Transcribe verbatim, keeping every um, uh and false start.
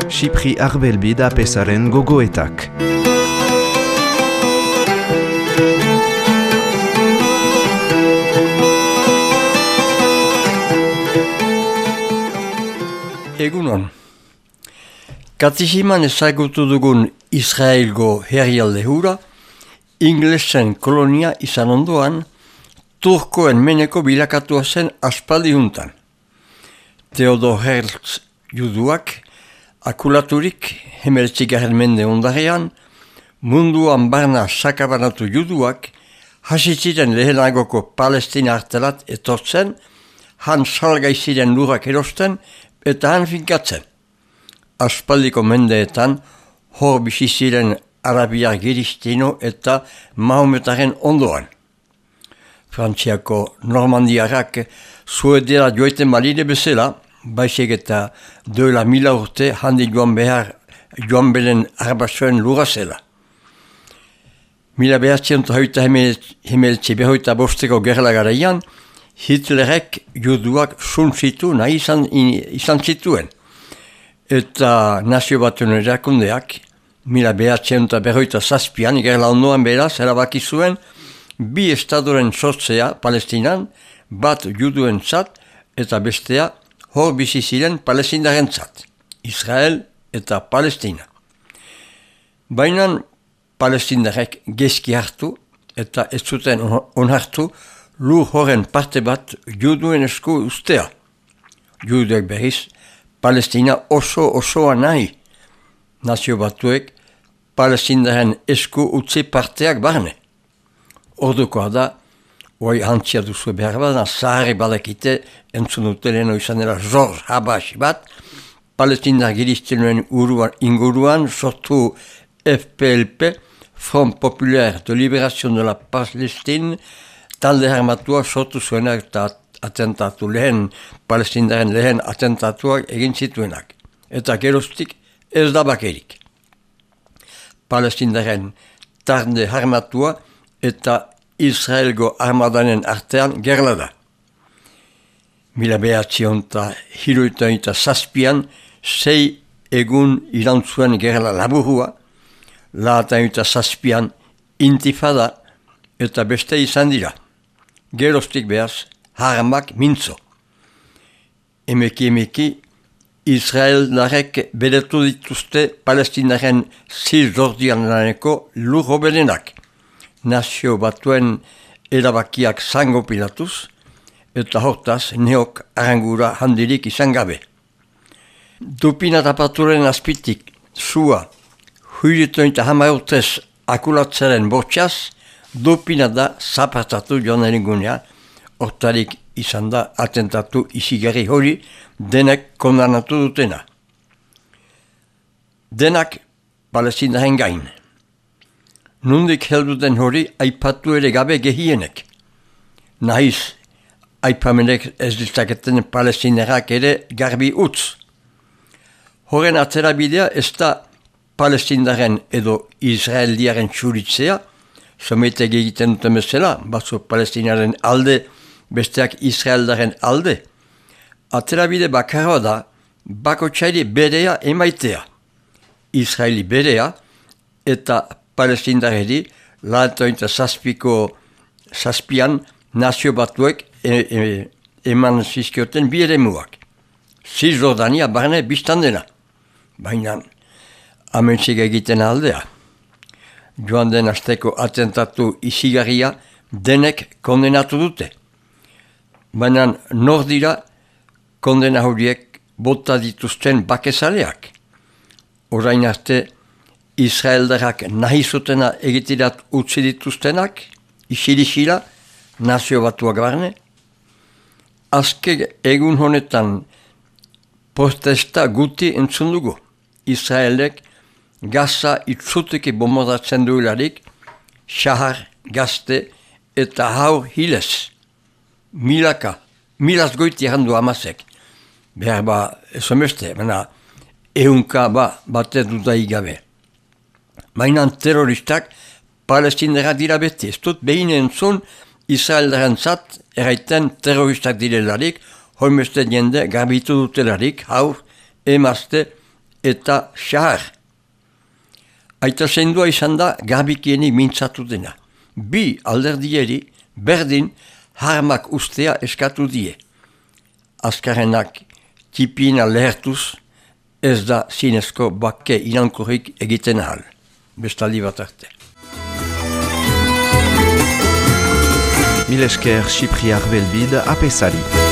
Xipri Arbelbi da pesaren gogoetak. Egunon. Katisiman ezagutu dugun Israelgo herrialde hura, inglesen kolonia izan ondoan, Turkoen meneko bilakatua zen aspaldi juntan. Theodor Herzl juduak, akulaturik hemeretzigarren mende ondarean, munduan barna sakabanatu juduak, hasitziren lehenagoko Palestina artelat etortzen, han salgai ziren lurrak erosten, eta han finkatzen. Aspaldiko mendeetan, hor bizi ziren Arabiar Giristino eta Mahometaren ondoan. Frantziako Normandiarrak Suedera joiten balide bezala, baizik eta duela mila urte handi joan behar joan beren arbasoen lura zela. Mila behatzientu hauita hemeltzi behoita bosteko gerla garaian, Hitlerek juduak suntzitu nahi izan, izan zituen. Eta nazio batuen erakundeak, mila behatzientu behoita zazpian, gerla ondoan beraz, erabaki zuen, bi estadoren sortzea Palestinan, bat juduen zat, eta bestea hor bizi ziren palestindaren zat, Israel eta Palestina. Baina palestindarek gezki hartu, eta ez zuten onhartu, lur horren parte bat juduen esku ustea. Juduek berriz, Palestina oso osoa nahi. Nazio batuek, palestindaren esku utzi parteak barne. Ordukoa da, hoi hantzia duzu behar bat, zaharri badakite, entzun uteleno izan dela George Habash bat, palestindar giristenoen inguruan sortu F P L P, Front Populaire de Libération de la Palestine, talde armatua sortu zuenak eta atentatu lehen, palestindaren lehen atentatuak egin zituenak. Eta geroztik ez da bakerik. Palestindaren talde armatua eta Israelgo armadanen artean gerla da. Mila behatzion eta hiruita eta zazpian, sei egun irantzuen gerla laburua, lahata eta zazpian intifada eta beste izan dira. Geroztik behaz, haramak mintzo. Emeki emeki, Israeldarek beretu dituzte palestinaren zizordian laneko lur hoberenak. Nazio batuen erabakiak zango pilatuz, eta hortaz neok arangura handirik izan gabe. Dupina tapaturen azpitik, zua, huilitoin eta hama urtez akulatzaren bortxaz, dupina da zapartatu joan eringunea, hortarik izan da atentatu izigarri hori denek kondanatu dutena. Denak palestindaren gain. Nundik heldu den hori aipatu ere gabe gehienek. Nahiz, aipamenek ez ditzaketen palestinerak ere garbi utz. Horren atzerabidea ez da palestindaren edo israeliaren txuritzea, sometek egiten duten bezala, batzu palestinaren alde, besteak israeldaren alde. Atzerabide bakarra da, bako txaili berea emaitea. Israeli berea eta palestindaredi, lahatointa zazpiko zazpian nazio batuek e, e, eman zizkioten bi ere muak. Zizordania barne biztan dena. Baina amentzik egiten aldea. Joan den asteko atentatu izigarria denek kondenatu dute. Baina nor dira kondena horiek bota dituzten bakezaleak. Orain arte Israeldarrak nahi zutena egitirat utzi dituztenak, isirisila, nazio batuak barne. Azke egun honetan protesta guti entzun dugu. Israelek Gaza itzuteki bombardatzen duelarik, xahar, gazte eta haur hilez. Milaka, milaz goiti handu amazek. Behar ba, esomeste, baina eunka ba, bate dudai gabe. Baina terroristak palestinera dira beti. Ez dut behin entzun Israeldaren zat eraiten terroristak direlarik hoimeste jende garbitu dutelarik, haur, emazte eta xahar. Aita zendua izan da garbikienik mintzatu dena. Bi alderdieri berdin harmak ustea eskatu die. Azkarrenak tipina lehertuz ez da zinezko bake inankurrik egiten ahal. Bestaldi bat arte. Mil esker Cipriar Belbide apesari.